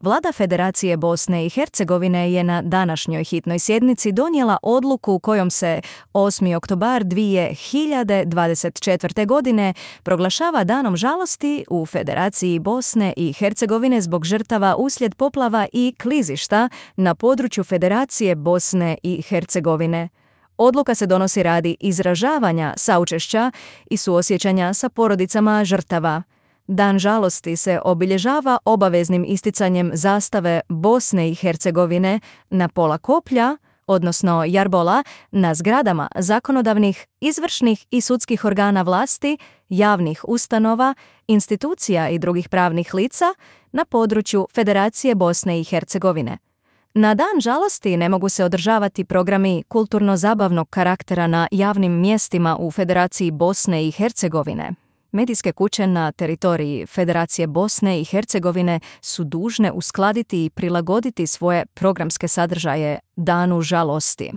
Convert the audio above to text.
Vlada Federacije Bosne i Hercegovine je na današnjoj hitnoj sjednici donijela odluku kojom se 8. oktobar 2024. godine proglašava danom žalosti u Federaciji Bosne i Hercegovine zbog žrtava uslijed poplava i klizišta na području Federacije Bosne i Hercegovine. Odluka se donosi radi izražavanja saučešća i suosjećanja sa porodicama žrtava. Dan žalosti se obilježava obaveznim isticanjem zastave Bosne i Hercegovine na pola koplja, odnosno jarbola, na zgradama zakonodavnih, izvršnih i sudskih organa vlasti, javnih ustanova, institucija i drugih pravnih lica na području Federacije Bosne i Hercegovine. Na dan žalosti ne mogu se održavati programi kulturno-zabavnog karaktera na javnim mjestima u Federaciji Bosne i Hercegovine. Medijske kuće na teritoriji Federacije Bosne i Hercegovine su dužne uskladiti i prilagoditi svoje programske sadržaje danu žalosti.